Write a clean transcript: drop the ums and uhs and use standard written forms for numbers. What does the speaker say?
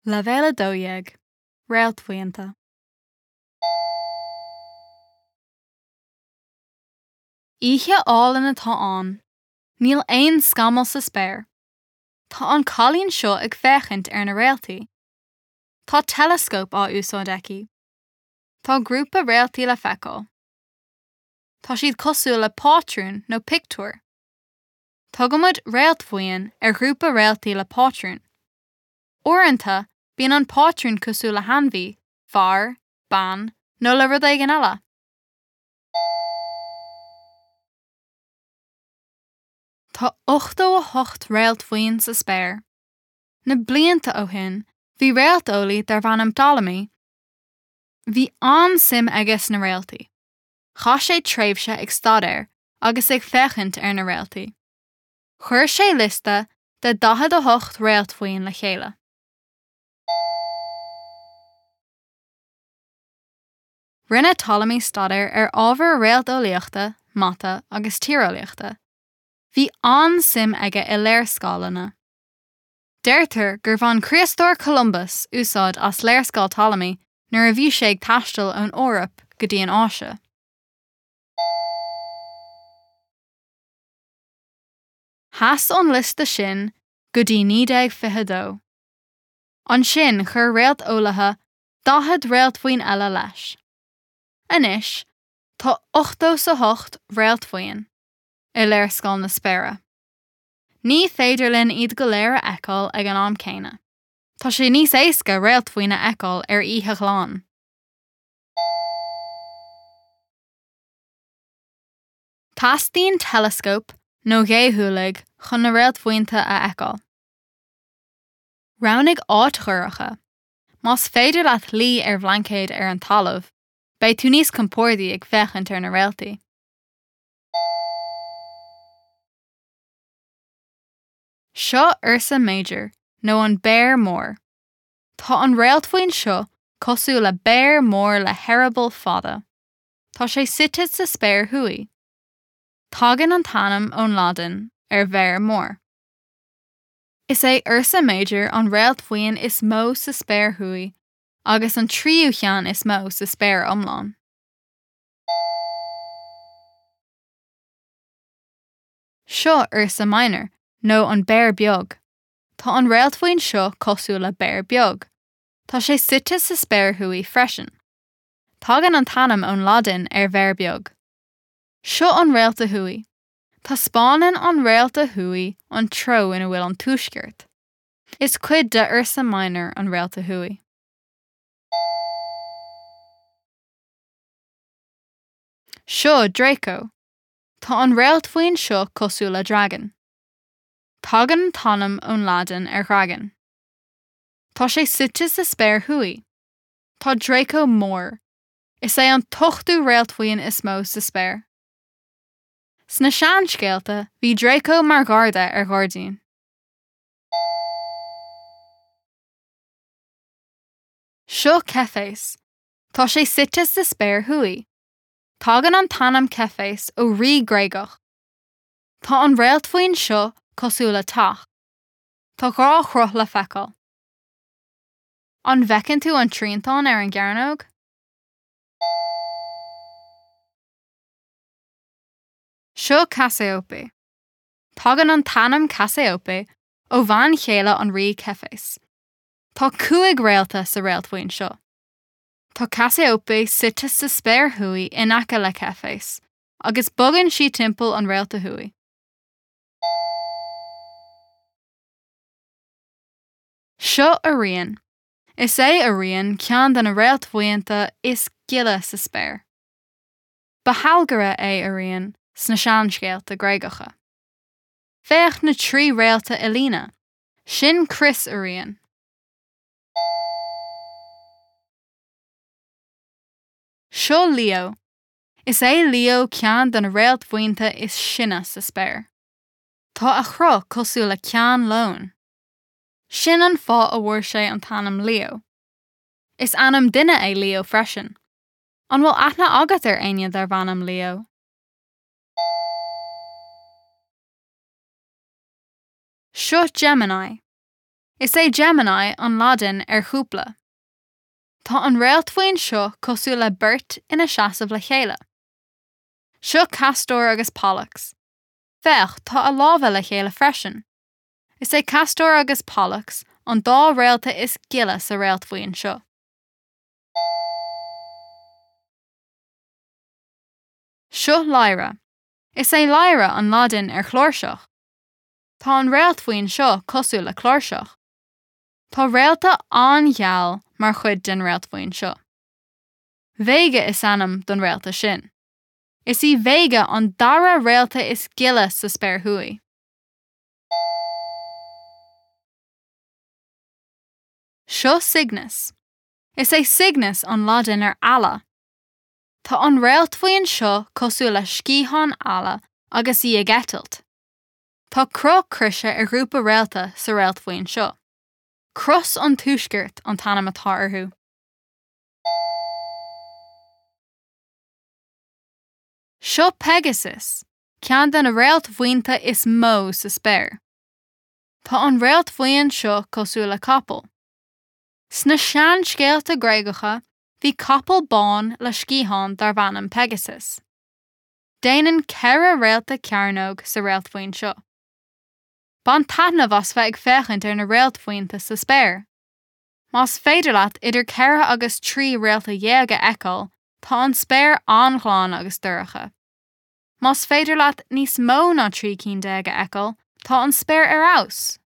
Leibhéal 12, Réaltbhuíonta. Oíche álainn atá ann. Níl aon scamall sa spéir. Tá an cailín seo ag féachaint ar na réaltaí. Tá teileascóp á úsáid aici. Tá grúpa réaltaí le feiceáil. Tá siad cosúil le pátrún nó pictiúr. Tugaimid réaltbhuíon ar ghrúpa réaltaí le pátrún. Uaireanta, bíonn an pátrún cosúil le hainmhí, fear, bean nó le rud éigin eile. Tá 88 réaltbhuíon sa spéir. Na blianta ó shin, bhí réalteolaí darbh ainm Ptolemy. Bhí an-suim aige sna réaltaí. Chaith sé tréimhse ag staidéar agus ag féachaint ar na réaltaí. Chuir sé liosta de 48 réaltbhuíon le chéile. Rinne Ptolemy staidéar ar ábhair réalteolaíochta, mata agus tíreolaíochta. Bhí an-suim aige i léarscáileanna. Deirtear gur bhain Críostóir Columbus úsáid as léarscáil Ptolemy nuair a bhí sé ag taisteal ón Eoraip go dtí an Áise. Sheas an liosta sin go dtí 1922. Ansin chuir réalteolaithe 40 réaltbhuíon eile leis. Anois tá 88 réaltbhuíon i léarscáil na spéire. Ní féidir linn iad go léir a fheiceáil ag an am céanna. Tá sé níos éasca réaltbhuíon a fheiceáil ar oíche ghlan. Teastaíonn teileascóp nó géadhúlaigh chun na réaltbhuíonta a fheiceáil. Roghnaigh áit dhorcha. Más féidir leat luí ar bhlaincéad ar an talamh, beidh tú níos compordaí ag féachaint ar na réaltaí. Seo Ursa Major, nó an Béar Mór. Tá an réaltbhuíon seo cosúil le béar mór le heireaball fada. Tá sé suite sa spéir thuaidh. Tagann an t-ainm ón Laidin ar bhéar mór. Is é Ursa Major an réaltbhuíon is mó sa spéir thuaidh agus an tríú cheann is mó sa spéir iomlán. Seo Ursa Minor, nó an Béar Beag. Tá an réaltbhuíon seo cosúil le béar beag. Tá sé suite sa spéir thuaidh freisin. Tagann an t-ainm ón Laidin ar bhéar beag. Seo an réalta thuaidh. Taispeánann an réalta thuaidh an treo ina bhfuil an tuaisceart. Is cuid de Ursa Minor an réalta thuaidh. Seo Draco. Tá an réaltbhuíon seo cosúil le dragan. Tagann an t-ainm ón Laidin ar dhragan. Tá sé suite sa spéir thuaidh. Tá Draco mór. Is é an t-ochtú réaltbhuíon is mó sa spéir. Sna seanscéalta, bhí Draco mar gharda ar ghairdín. Seo Ceiféas. Tá sé suite sa spéir thuaidh. Tagann an t-ainm Ceiféas ó rí Gréagach. Tá an réaltbhuíon seo cosúil le teach. Tá 2 chruth le feiceáil. An bhfeiceann tú an triantán ar an gcearnóg? Seo Cassiope. Tagann an t-ainm Cassiope ó bhean chéile an rí Ceiféas. Tá 5 réalta sa réaltbhuíon seo. Tá Cassiope suite sa spéir thuaidh in aice le Ceiféas, agus bogann sí timpeall an réalta thuaidh. Seo Orion. Is é Orion ceann de na réaltbhuíonta is gile sa spéir. Ba shealgaire é Orion sna seanscéalta Gréagacha. Féach na 3 réalta i líne. Sin crios Orion. Seo Leo. Is é Leo ceann de na réaltbhuíonta is sine sa spéir. Tá a chruth cosúil le ceann leoin. Sin an fáth a bhfuair sé an t-ainm Leo. Is ainm duine é Leo freisin. An bhfuil aithne agat ar éinne darb ainm Leo? Seo Gemini. Is é Gemini an Laidin ar chúpla. Tá an réaltbhuíon seo cosúil le beirt ina seasamh le chéile. Seo Castor agus Pollux. Féach, tá a lámha le chéile freisin. Is é Castor agus Pollux an dá réalta is gile sa réaltbhuíon seo. Seo Lyra. Is é Lyra an Laidin ar chláirseach. Tá an réaltbhuíon seo cosúil le cláirseach. Tá réalta an-gheal mar chuid den réaltbhuíon seo. Vega is ainm don réalta sin. Is í Vega an dara réalta is gile sa spéir thuaidh. Seo Cygnus. Is é Cygnus an Laidin ar eala. Tá an réaltbhuíon seo cosúil le sciathán eala agus í ag eitilt. Tá cruth croise ar ghrúpa réalta sa réaltbhuíon seo. Cros an Tuaiscirt an t-ainm atá orthu. Seo Pegasus, ceann de na réaltbhuíonta is mó sa spéir. Tá an réaltbhuíon seo cosúil le capall. Sna seanscéalta Gréagacha, bhí capall bán le sciatháin darbh ainm Pegasus. Déanann 4 réalta cearnóg sa réaltbhuíon seo. Bain taitneamh as bheith ag féachaint ar na réaltbhuíonta sa spéir! Más féidir leat idir 4 agus 13 réalta a fheiceáil, tá an spéir an-ghlan agus dorcha. Más féidir leat níos mó ná 13 cinn a fheiceáil, tá an spéir ar fheabhas!